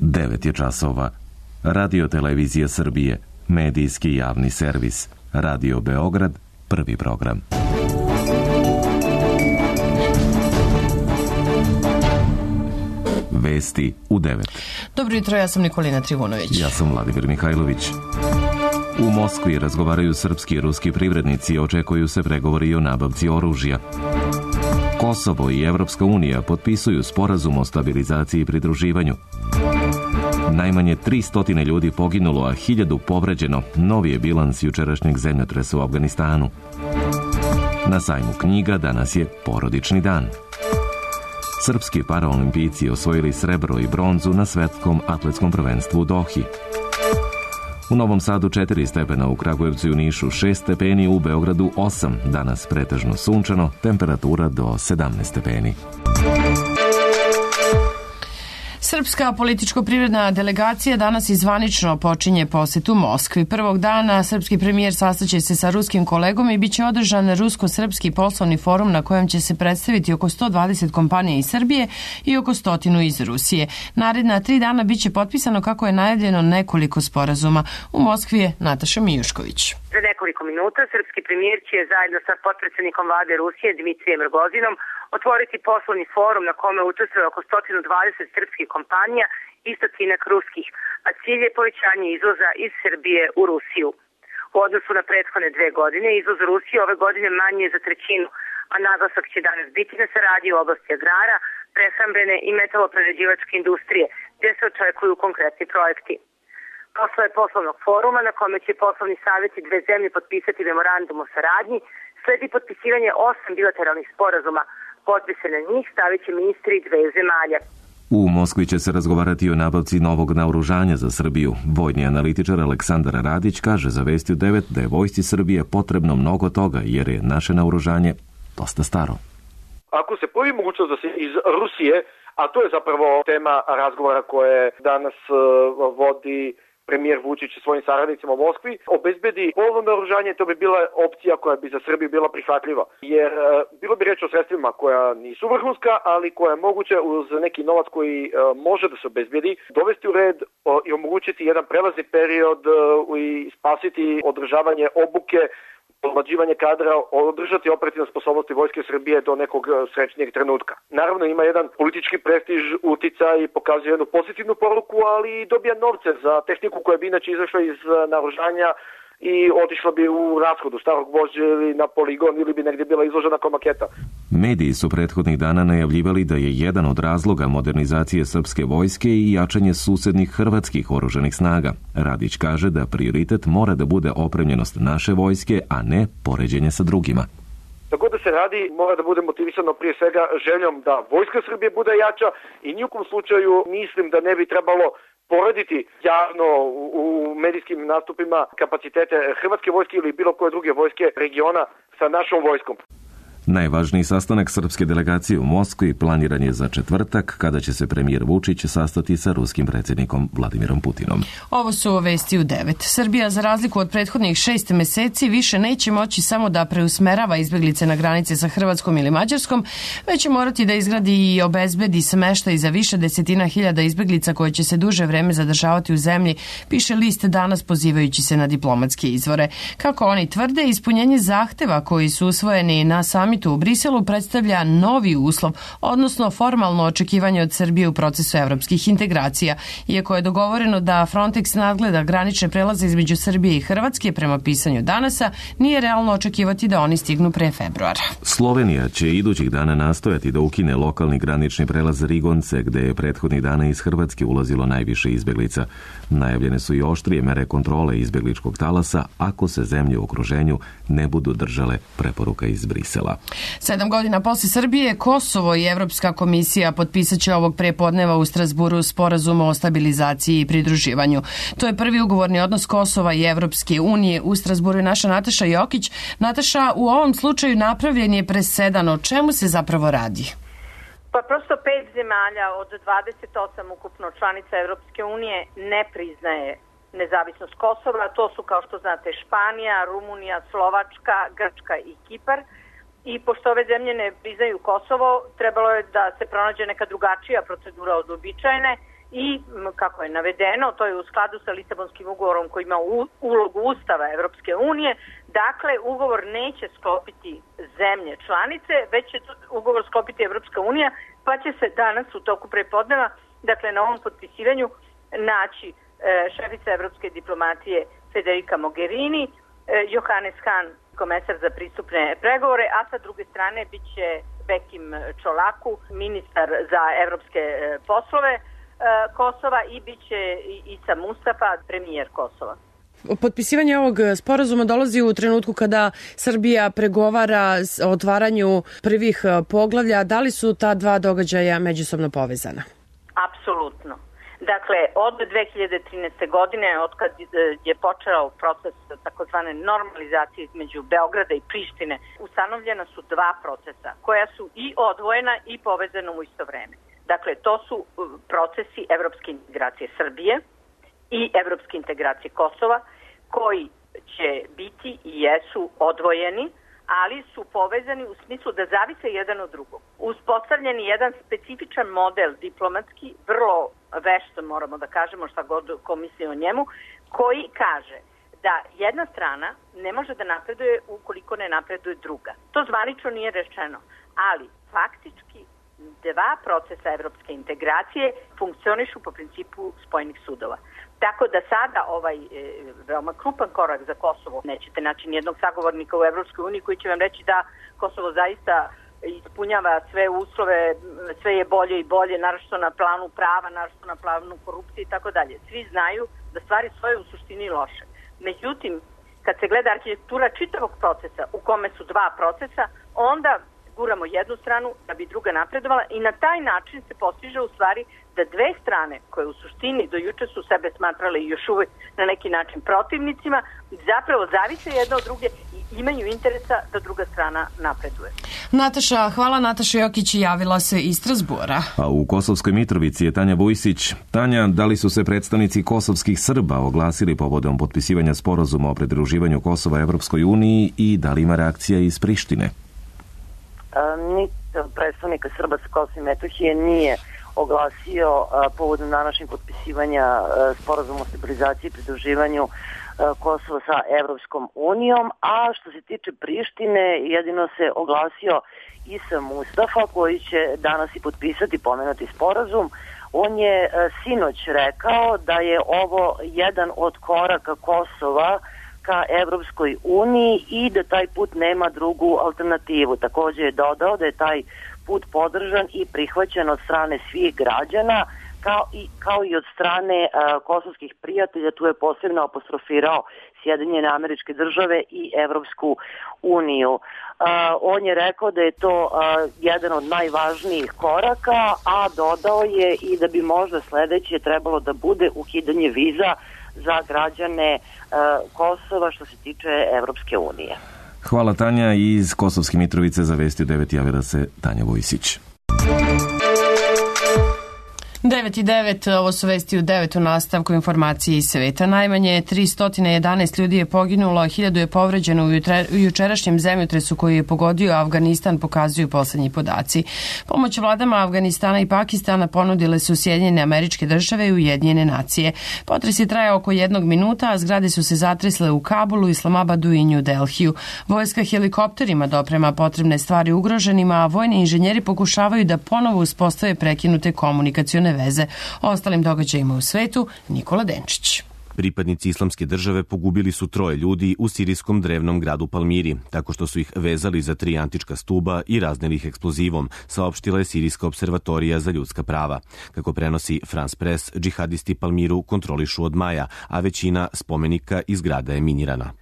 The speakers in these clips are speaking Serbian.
9 je časova. Radio Televizija Srbije, medijski javni servis. Radio Beograd, prvi program. Vesti u 9. Dobro jutro, ja sam Nikolina Trivunović. Ja sam Vladimir Mihajlović. U Moskvi razgovaraju srpski i ruski privrednici i očekuju se pregovori o nabavci oružja. Kosovo i Evropska unija potpisuju sporazum o stabilizaciji i pridruživanju. Najmanje 300 ljudi poginulo, a 1000 povređeno. Novi je bilans jučerašnjeg zemljotresa u Afganistanu. Na sajmu knjiga danas je porodični dan. Srpski paraolimpijci osvojili srebro i bronzu na svetskom atletskom prvenstvu u Dohi. U Novom Sadu 4 stepena, u Kragujevcu i u Nišu 6 stepeni, u Beogradu 8. Danas pretežno sunčano, temperatura do 17 stepeni. Srpska političko-privredna delegacija danas zvanično počinje posetu Moskvi. Prvog dana srpski premijer sastaće se sa ruskim kolegom i bit će održan rusko-srpski poslovni forum na kojem će se predstaviti oko 120 kompanija iz Srbije i oko 100 iz Rusije. Naredna 3 dana bit će potpisano, kako je najavljeno, nekoliko sporazuma. U Moskvi je Nataša Mijušković. Za nekoliko minuta srpski premijer će zajedno sa potpredsjednikom vlade Rusije Dmitrijem Rogozinom otvoriti poslovni forum na kome učestvuje oko 120 srpskih kompanija i 100 ruskih, a cilj je povećanje izvoza iz Srbije u Rusiju. U odnosu na prethodne 2 godine, izvoz Rusije ove godine manji je za trećinu, a naglasak će danas biti na saradnji u oblasti agrara, prehrambene i metaloprerađivačke industrije, gdje se očekuju konkretni projekti. Posle poslovnog foruma, na kome će poslovni savjeti 2 zemlje potpisati memorandum o saradnji, sledi potpisivanje 8 bilateralnih sporazuma. Potpise na njih stavit će ministri 2 zemalja. U Moskvi će se razgovarati o nabavci novog naoružanja za Srbiju. Vojni analitičar Aleksandar Radić kaže za Vesti u 9 da je vojsci Srbije potrebno mnogo toga, jer je naše naoružanje dosta staro. Ako se pojavi mogućnost da se iz Rusije, a to je zapravo tema razgovora koje danas vodi premijer Vučić i svojim saradnicima u Moskvi, obezbedi polovno naoružanje, to bi bila opcija koja bi za Srbiju bila prihvatljiva. Jer bilo bi reč o sredstvima koja nisu vrhunska, ali koja je moguće uz neki novac koji može da se obezbedi, dovesti u red i omogućiti jedan prelazni period i spasiti održavanje obuke, podmlađivanje kadra, održati operativne sposobnosti Vojske Srbije do nekog srećnijeg trenutka. Naravno, ima jedan politički prestiž, uticaj i pokazuje jednu pozitivnu poruku, ali dobija novce za tehniku koja bi inače izašla iz naoružanja i otišla bi u rashodu starog vožđa ili na poligon ili bi negdje bila izložena kao maketa. Mediji su prethodnih dana najavljivali da je jedan od razloga modernizacije srpske vojske i jačanje susednih hrvatskih oružanih snaga. Radić kaže da prioritet mora da bude opremljenost naše vojske, a ne poređenje sa drugima. Tako da se radi, mora da bude motivisano prije svega željom da vojska Srbije bude jača i nijukom slučaju mislim da ne bi trebalo porediti javno u medijskim nastupima kapacitete hrvatske vojske ili bilo koje druge vojske regiona sa našom vojskom. Najvažniji sastanak srpske delegacije u Moskvi planiran je za četvrtak, kada će se premijer Vučić sastati sa ruskim predsjednikom Vladimirom Putinom. Ovo su Vesti u 9. Srbija, za razliku od prethodnih 6 meseci, više neće moći samo da preusmerava izbjeglice na granice sa Hrvatskom ili Mađarskom, već će morati da izgradi i obezbedi smeštaj za više desetina hiljada izbjeglica koje će se duže vreme zadržavati u zemlji, piše list danas pozivajući se na diplomatske izvore. Kako oni tvrde, ispunjenje zahteva koji su usvojeni na samitu u Briselu predstavlja novi uslov, odnosno formalno očekivanje od Srbije u procesu evropskih integracija. Iako je dogovoreno da Frontex nadgleda granične prelaze između Srbije i Hrvatske prema pisanju danasa, nije realno očekivati da oni stignu pre februara. Slovenija će idućih dana nastojati da ukine lokalni granični prelaz Rigonce, gde je prethodnih dana iz Hrvatske ulazilo najviše izbjeglica. Najavljene su i oštrije mere kontrole izbjegličkog talasa ako se zemlje u okruženju ne budu držale preporuka iz Brisela. 7 godina posle Srbije, Kosovo i Evropska komisija potpisat će ovog prepodneva u Strazburu sporazum o stabilizaciji i pridruživanju. To je prvi ugovorni odnos Kosova i Evropske unije. U Strazburu je naša Nataša Jokić. Nataša, u ovom slučaju napravljen je presedan. O čemu se zapravo radi? Pa prosto 5 zemalja od 28 ukupno članica Evropske unije ne priznaje nezavisnost Kosova. To su, kao što znate, Španija, Rumunija, Slovačka, Grčka i Kipar. I pošto ove zemlje ne priznaju Kosovo, trebalo je da se pronađe neka drugačija procedura od uobičajene i kako je navedeno, to je u skladu sa Lisabonskim ugovorom koji ima ulogu Ustava Evropske unije. Dakle, ugovor neće sklopiti zemlje članice, već će ugovor sklopiti Evropska unija, pa će se danas u toku prepodneva, dakle na ovom potpisivanju, naći šefica evropske diplomatije Federica Mogherini, Johannes Hahn, komesar za pristupne pregovore, a sa druge strane bit će Bekim Čolaku, ministar za evropske poslove Kosova, i bit će Isa Mustafa, premijer Kosova. Potpisivanje ovog sporazuma dolazi u trenutku kada Srbija pregovara o otvaranju prvih poglavlja. Da li su ta dva događaja međusobno povezana? Apsolutno. Dakle, od 2013. godine, od kad je počeo proces takozvane normalizacije između Beograda i Prištine, ustanovljena su dva procesa koja su i odvojena i povezana u isto vreme. Dakle, to su procesi evropske integracije Srbije i evropske integracije Kosova, koji će biti i jesu odvojeni, ali su povezani u smislu da zavise jedan od drugog. Uspostavljen je jedan specifičan model diplomatski, vrlo vešt, moramo da kažemo šta god ko misli o njemu, koji kaže da jedna strana ne može da napreduje ukoliko ne napreduje druga. To zvanično nije rečeno, ali faktički dva procesa evropske integracije funkcionišu po principu spojenih sudova. Tako da sada ovaj veoma krupan korak za Kosovo, nećete naći nijednog sagovornika u Evropskoj uniji koji će vam reći da Kosovo zaista ispunjava sve uslove, sve je bolje i bolje, naročito na planu prava, naročito na planu korupcije i tako dalje. Svi znaju da stvari stoje u suštini loše. Međutim, kad se gleda arhitektura čitavog procesa u kome su dva procesa, onda guramo jednu stranu da bi druga napredovala i na taj način se postiže u stvari da dve strane koje u suštini do juče su sebe smatrale i još uvek na neki način protivnicima, zapravo zavise jedna od druge i imaju interesa da druga strana napreduje. Nataša, hvala. Nataša Jokić javila se iz Strasbura. A u Kosovskoj Mitrovici je Tanja Vujsić. Tanja, da li su se predstavnici kosovskih Srba oglasili povodom potpisivanja sporazuma o pridruživanju Kosova Evropskoj uniji i da li ima reakcija iz Prištine? Niti predstavnika Srba sa Kosova i Metohije nije oglasio povodom današnjeg potpisivanja sporazuma o stabilizaciji i pridruživanju Kosova sa Evropskom unijom, a što se tiče Prištine, jedino se oglasio Isa Mustafa, koji će danas i potpisati pomenuti sporazum. On je sinoć rekao da je ovo jedan od koraka Kosova ka Evropskoj uniji i da taj put nema drugu alternativu. Također je dodao da je taj put podržan i prihvaćen od strane svih građana, kao i od strane kosovskih prijatelja. Tu je posebno apostrofirao Sjedinjene Američke Države i Evropsku uniju. On je rekao da je to jedan od najvažnijih koraka, a dodao je i da bi možda sledeće trebalo da bude ukidanje viza za građane Kosova što se tiče Evropske unije. Hvala Tanja. Iz Kosovske Mitrovice za Vesti u 9 javila se Tanja Vojsić. 9:09, ovo su Vesti u 9 u nastavku informacije iz sveta. Najmanje 311 ljudi je poginulo, a 1000 je povređeno u jučerašnjem zemljotresu koji je pogodio Afganistan, pokazuju poslednji podaci. Pomoć vladama Afganistana i Pakistana ponudile su Sjedinjene Američke Države i Ujedinjene nacije. Potres je trajao oko 1 minuta, a zgrade su se zatresle u Kabulu, Islamabadu i New Delhiju. Vojska helikopterima doprema potrebne stvari ugroženima, a vojni inženjeri pokušavaju da ponovo uspostave prekinute komunikacione veze. O ostalim događajima u svetu, Nikola Denčić. Pripadnici Islamske države pogubili su 3 ljudi u sirijskom drevnom gradu Palmiri, tako što su ih vezali za 3 antička stuba i razneli ih eksplozivom, saopštila je Sirijska observatorija za ljudska prava. Kako prenosi France Press, džihadisti Palmiru kontrolišu od maja, a većina spomenika i zgrada je minirana.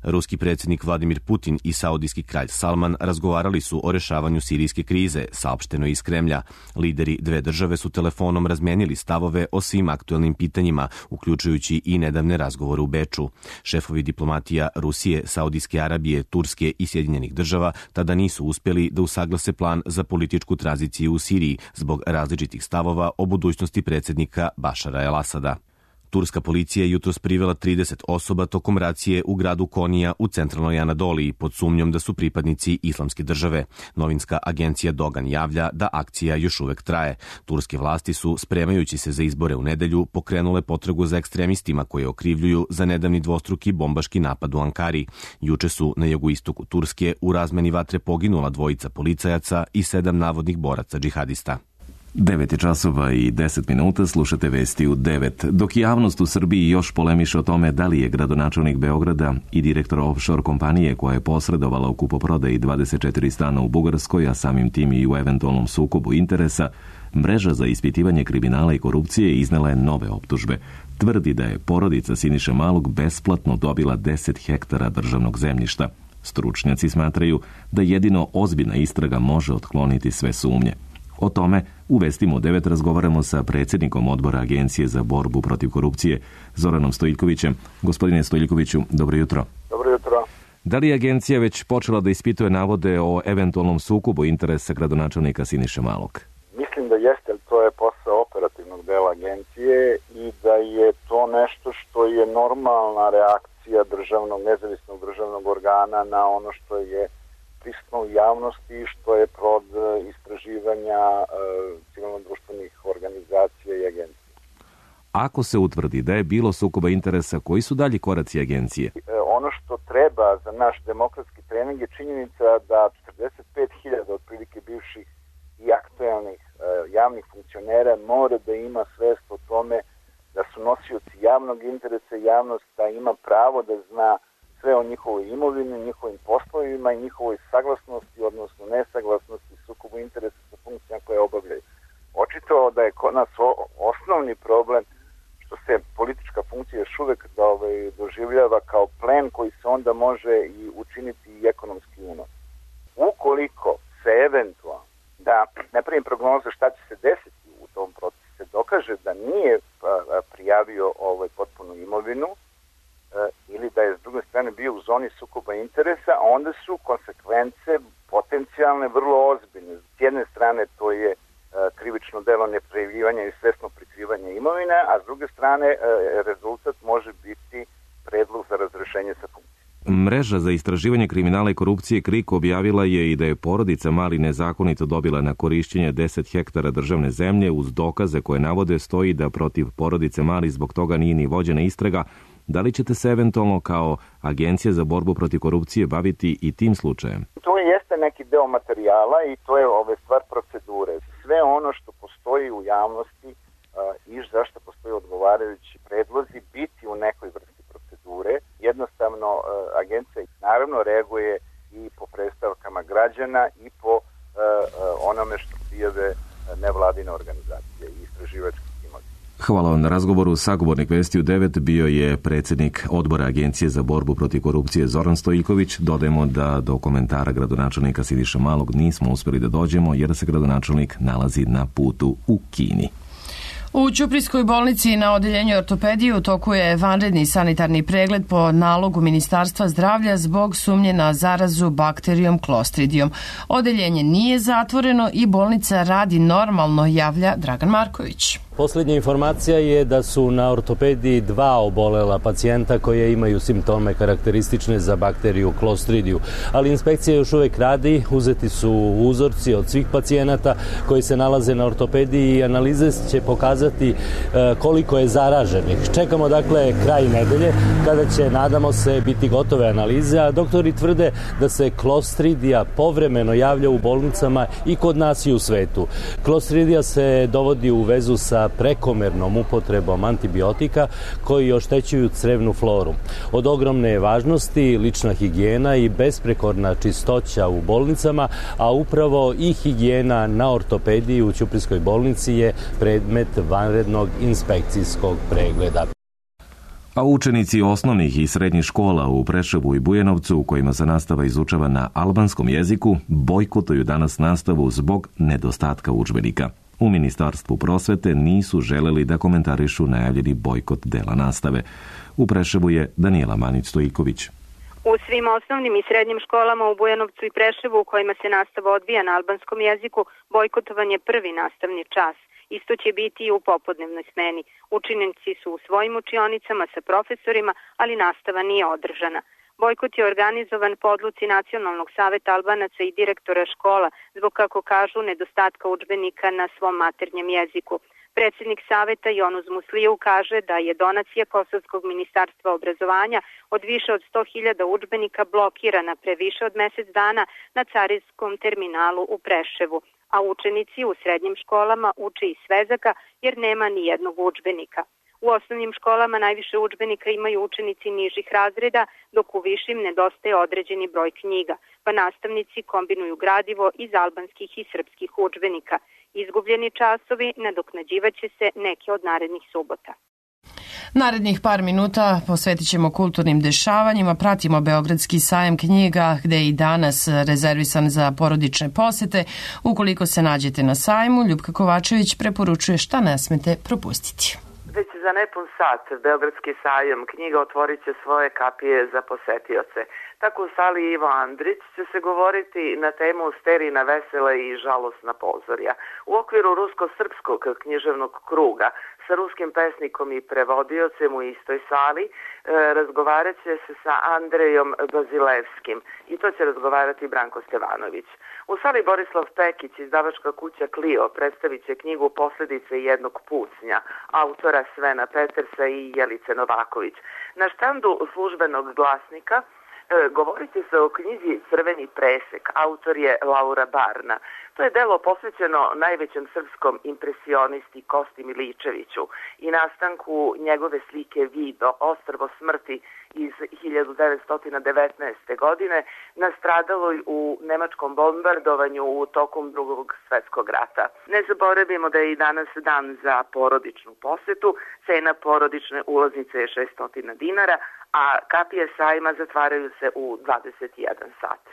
Ruski predsjednik Vladimir Putin i saudijski kralj Salman razgovarali su o rešavanju sirijske krize, saopšteno iz Kremlja. Lideri dve države su telefonom razmenili stavove o svim aktuelnim pitanjima, uključujući i nedavne razgovore u Beču. Šefovi diplomatija Rusije, Saudijske Arabije, Turske i Sjedinjenih država tada nisu uspjeli da usaglase plan za političku tranziciju u Siriji zbog različitih stavova o budućnosti predsjednika Bašara el-Asada. Turska policija je jutros privela 30 osoba tokom racije u gradu Konija u centralnoj Anadoliji pod sumnjom da su pripadnici Islamske države. Novinska agencija Dogan javlja da akcija još uvek traje. Turske vlasti su, spremajući se za izbore u nedelju, pokrenule potragu za ekstremistima koje okrivljuju za nedavni dvostruki bombaški napad u Ankari. Juče su na jugoistoku Turske u razmeni vatre poginula 2 policajaca i 7 navodnih boraca džihadista. 9 časova i 10 minuta, slušate vesti u 9. Dok javnost u Srbiji još polemiše o tome da li je gradonačelnik Beograda i direktor offshore kompanije koja je posredovala u kupoprodaji 24 stana u Bugarskoj, a samim tim i u eventualnom sukobu interesa, Mreža za ispitivanje kriminala i korupcije iznela je nove optužbe. Tvrdi da je porodica Siniše Malog besplatno dobila 10 hektara državnog zemljišta. Stručnjaci smatraju da jedino ozbiljna istraga može otkloniti sve sumnje. O tome u vestima u 9 razgovaramo sa predsjednikom odbora Agencije za borbu protiv korupcije, Zoranom Stojiljkovićem. Gospodine Stojiljkoviću, dobro jutro. Dobro jutro. Da li je agencija već počela da ispituje navode o eventualnom sukobu interesa gradonačelnika Siniše Malog? Mislim da jeste, ali to je posao operativnog dela agencije i da je to nešto što je normalna reakcija nezavisnog državnog organa na ono što je prisutno u javnosti, što je plod istraživanja civilno-društvenih organizacija i agencija. Ako se utvrdi da je bilo sukoba interesa, koji su dalji koraci agencije? Ono što treba za naš demokratski trening je činjenica da 45.000 otprilike bivših i aktuelnih javnih funkcionera mora da ima svest o tome da su nosioci javnog interesa i javnost da ima pravo da zna sve o njihovoj imovini, njihovim poslovima i njihovoj saglasnosti, odnosno nesaglasnosti, sukobu interesa sa funkcijama koje obavljaju. Očito da je kod nas osnovni problem što se politička funkcija još uvek doživljava kao plen koji se onda može i učiniti i ekonomski unos. Ukoliko se eventualno da napravim prognozu šta će se desiti u tom procesu, se dokaže da nije prijavio potpunu imovinu ili da je s druge strane bio u zoni sukoba interesa, onda su konsekvence potencijalne vrlo ozbiljne. S jedne strane to je krivično delo neprijavljivanja i svesno prikrivanja imovine, a s druge strane rezultat može biti predlog za razrešenje sa funkcije. Mreža za istraživanje kriminala i korupcije KRIK objavila je i da je porodica Mali nezakonito dobila na korišćenje 10 hektara državne zemlje uz dokaze koje navode stoji da protiv porodice Mali zbog toga nije ni vođena istraga. Da li ćete se eventualno kao Agencija za borbu protiv korupcije baviti i tim slučajem? To jeste neki deo materijala i to je stvar procedure. Sve ono što postoji u javnosti i zašto postoji odgovarajući predlozi biti u nekoj vrsti procedure. Jednostavno agencija naravno reaguje i po predstavkama građana i po onome što prijave nevladine organizacije i istraživački timovi. Hvala vam na razgovoru. Sagovornik Vesti u 9 bio je predsjednik odbora Agencije za borbu protiv korupcije Zoran Stojiljković. Dodajemo da do komentara gradonačelnika Siniše Malog nismo uspjeli da dođemo jer se gradonačelnik nalazi na putu u Kini. U Ćuprijskoj bolnici na odeljenju ortopedije u toku je vanredni sanitarni pregled po nalogu Ministarstva zdravlja zbog sumnje na zarazu bakterijom Clostridijom. Odeljenje nije zatvoreno i bolnica radi normalno, javlja Dragan Marković. Posljednja informacija je da su na ortopediji 2 obolela pacijenta koje imaju simptome karakteristične za bakteriju Clostridiju. Ali inspekcija još uvijek radi, uzeti su uzorci od svih pacijenata koji se nalaze na ortopediji i analize će pokazati koliko je zaraženih. Čekamo dakle kraj nedelje kada će, nadamo se, biti gotove analize, a doktori tvrde da se Clostridija povremeno javlja u bolnicama i kod nas i u svetu. Clostridija se dovodi u vezu sa prekomernom upotrebom antibiotika koji oštećuju crevnu floru. Od ogromne je važnosti lična higijena i besprekorna čistoća u bolnicama, a upravo i higijena na ortopediji u Ćuprijskoj bolnici je predmet vanrednog inspekcijskog pregleda. A učenici osnovnih i srednjih škola u Preševu i Bujanovcu, u kojima se nastava izučava na albanskom jeziku, bojkotuju danas nastavu zbog nedostatka udžbenika. U Ministarstvu prosvete nisu želeli da komentarišu najavljeni bojkot dela nastave. U Preševu je Danijela Manić-Stojiljković. U svim osnovnim i srednjim školama u Bujanovcu i Preševu u kojima se nastava odvija na albanskom jeziku, bojkotovan je prvi nastavni čas. Isto će biti i u popodnevnoj smeni. Učenici su u svojim učionicama sa profesorima, ali nastava nije održana. Bojkot je organizovan po odluci Nacionalnog saveta Albanaca i direktora škola zbog, kako kažu, nedostatka udžbenika na svom maternjem jeziku. Predsjednik saveta Jonuz Musliju kaže da je donacija Kosovskog ministarstva obrazovanja od više od 100.000 udžbenika blokirana pre više od mjesec dana na carinskom terminalu u Preševu, a učenici u srednjim školama uče iz svezaka jer nema ni jednog udžbenika. U osnovnim školama najviše udžbenika imaju učenici nižih razreda, dok u višim nedostaje određeni broj knjiga, pa nastavnici kombinuju gradivo iz albanskih i srpskih udžbenika. Izgubljeni časovi nadoknađivaće se neke od narednih subota. Narednih par minuta posvetit ćemo kulturnim dešavanjima, pratimo Beogradski sajam knjiga gde je i danas rezervisan za porodične posete. Ukoliko se nađete na sajmu, Ljupka Kovačević preporučuje šta ne smete propustiti. Već za nepun sat Beogradski sajam knjiga otvorit će svoje kapije za posetioce. Tako u sali Ivo Andrić će se govoriti na temu sterijna vesela i žalosna pozorja. U okviru rusko-srpskog književnog kruga sa ruskim pesnikom i prevodiocem u istoj sali razgovarat će se sa Andrejom Bazilevskim i to će razgovarati Branko Stevanović. U sali Borislav Pekić, izdavačka kuća Clio, predstavit će knjigu Posljedice jednog pucnja, autora Svena Petersa i Jelice Novaković. Na štandu službenog glasnika govorit će se o knjizi Crveni presek, autor je Laura Barna. To je delo posvećeno najvećem srpskom impresionisti Kosti Miličeviću i nastanku njegove slike Vido, ostrvo smrti iz 1919. godine, nastradaloj u nemačkom bombardovanju u tokom Drugog svjetskog rata. Ne zaboravimo da je i danas dan za porodičnu posetu, cena porodične ulaznice je 600 dinara, a kapije sajma zatvaraju se u 21 sat.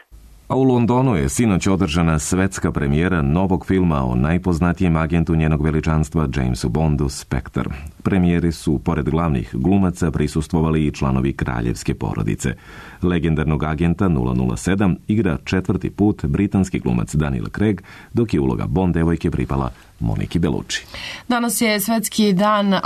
A u Londonu je sinoć održana svetska premijera novog filma o najpoznatijem agentu njenog veličanstva Jamesu Bondu, Spectre. Premijeri su, pored glavnih glumaca, prisustvovali i članovi kraljevske porodice. Legendarnog agenta 007 igra 4. put britanski glumac Daniel Craig, dok je uloga Bond devojke pripala Moniki Bellucci. Danas je Svetski dan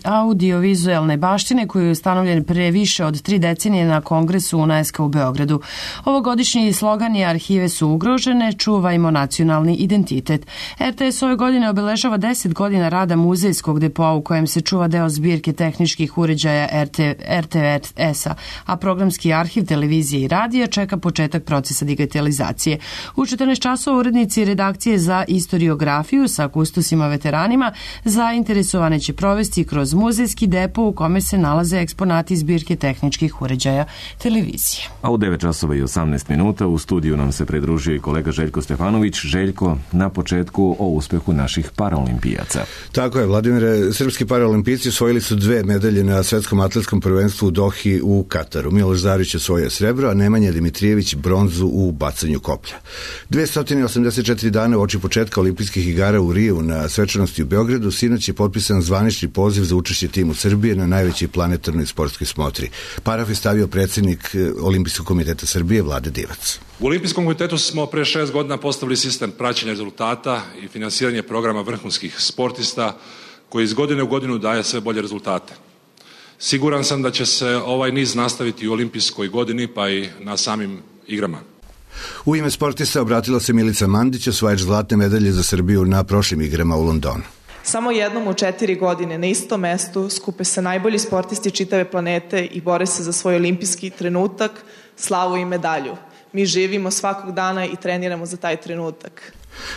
audiovizualne baštine koji je ustanovljen pre više od 3 decenije na Kongresu UNESCO u Beogradu. Ovogodišnji slogan je Arhive su ugrožene, čuvajmo nacionalni identitet. RTS ove godine obeležava 10 godina rada muzejskog depoa u kojem se čuva deo zbirke tehničkih uređaja RTS-a, a programski arhiv televizije i radija čeka početak procesa digitalizacije. U 14 časova urednici redakcije za istoriografiju sa kustosima veteranima zainteresovane će provesti kroz muzejski depo u kome se nalaze eksponati zbirke tehničkih uređaja televizije. A u 9 časova i 18 minuta u studiju nam se pridružio i kolega Željko Stefanović. Željko, na početku o uspehu naših paraolimpijaca. Tako je, Vladimire, srpski paraolimpijci osvojili su 2 medalje na svetskom atletskom prvenstvu u Dohi u Kataru. Miloš Zarić osvojio srebro, a Nemanja Dimitrijević bronzu u bacanju koplja. 284 dana uoči početka olimpijskih igara u Riju na svečanosti u Beogradu sinoć je potpisan zvanični poziv za učešće timu Srbije na najvećoj planetarnoj sportskoj smotri. Paraf je stavio predsjednik Olimpijskog komiteta Srbije Vlade Divac. U Olimpijskom komitetu smo pre 6 godina postavili sistem praćenja rezultata i finansiranje programa vrhunskih sportista koji iz godine u godinu daje sve bolje rezultate. Siguran sam da će se ovaj niz nastaviti u olimpijskoj godini pa i na samim igrama. U ime sportista obratila se Milica Mandić, osvajač zlatne medalje za Srbiju na prošlim igrama u Londonu. Samo jednom u 4 godine na istom mestu skupe se najbolji sportisti čitave planete i bore se za svoj olimpijski trenutak, slavu i medalju. Mi živimo svakog dana i treniramo za taj trenutak.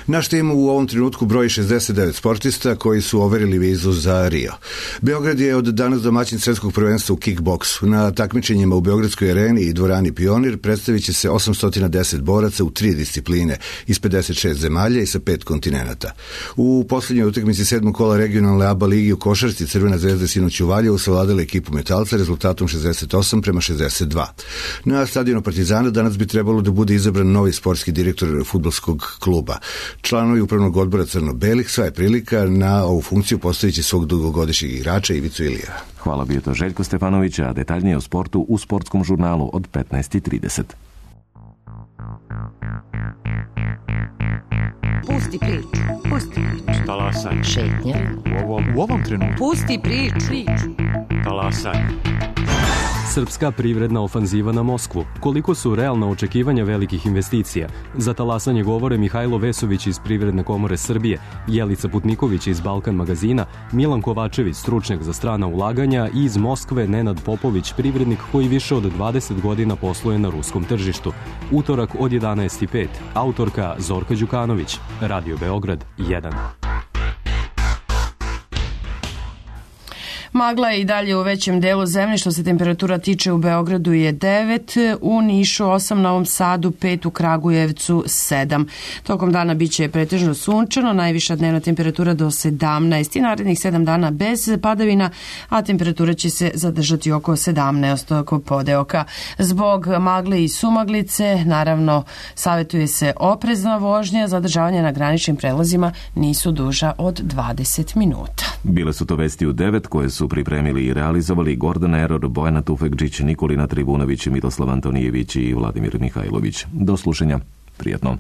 Naš tim u ovom trenutku broji 69 sportista koji su overili vizu za Rio. Beograd je od danas domaćin svetskog prvenstva u kickboksu. Na takmičenjima u Beogradskoj areni i dvorani Pionir predstavit će se 810 boraca u 3 discipline iz 56 zemalja i sa 5 kontinenata. U poslednjoj utakmici 7. kola regionalne ABA ligi u košarci Crvena zvezda sinoć u Valjevu savladala ekipu Metalca rezultatom 68-62. Na stadionu Partizana danas bi trebalo da bude izabran novi sportski direktor fudbalskog kluba. Članovi upravnog odbora Crno-belih sva je prilika na ovu funkciju postavit će svog dugogodišnjeg igrača Ivicu Ilijeva. Hvala, bio to Željko Stefanović, a detaljnije o sportu u sportskom žurnalu od 15:30. Pusti priču. Pusti priču. Talasaj. Šetnja. U ovom trenutku. Pusti priču. Talasaj. Srpska privredna ofanziva na Moskvu. Koliko su realna očekivanja velikih investicija? Za talasanje govore Mihajlo Vesović iz Privredne komore Srbije, Jelica Putniković iz Balkan magazina, Milan Kovačević, stručnjak za strana ulaganja i iz Moskve Nenad Popović, privrednik koji više od 20 godina posluje na ruskom tržištu. Utorak od 11:05. Autorka Zorka Đukanović. Radio Beograd 1. Magla je i dalje u većem delu zemlje. Što se temperatura tiče, u Beogradu je 9, u Nišu 8, Novom Sadu 5, u Kragujevcu 7. Tokom dana biće pretežno sunčano, najviša dnevna temperatura do 17 i narednih 7 dana bez padavina, a temperatura će se zadržati oko 17 oko podeoka. Zbog magle i sumaglice, naravno, savjetuje se oprezna vožnja, zadržavanje na graničnim prelazima nisu duža od 20 minuta. Bile su to vesti u 9 koje su pripremili i realizovali Gordana Eror, Bojana Tufekđić, Nikolina Tribunović, Miroslav Antonijević i Vladimir Mihajlović. Do slušanja. Prijatno.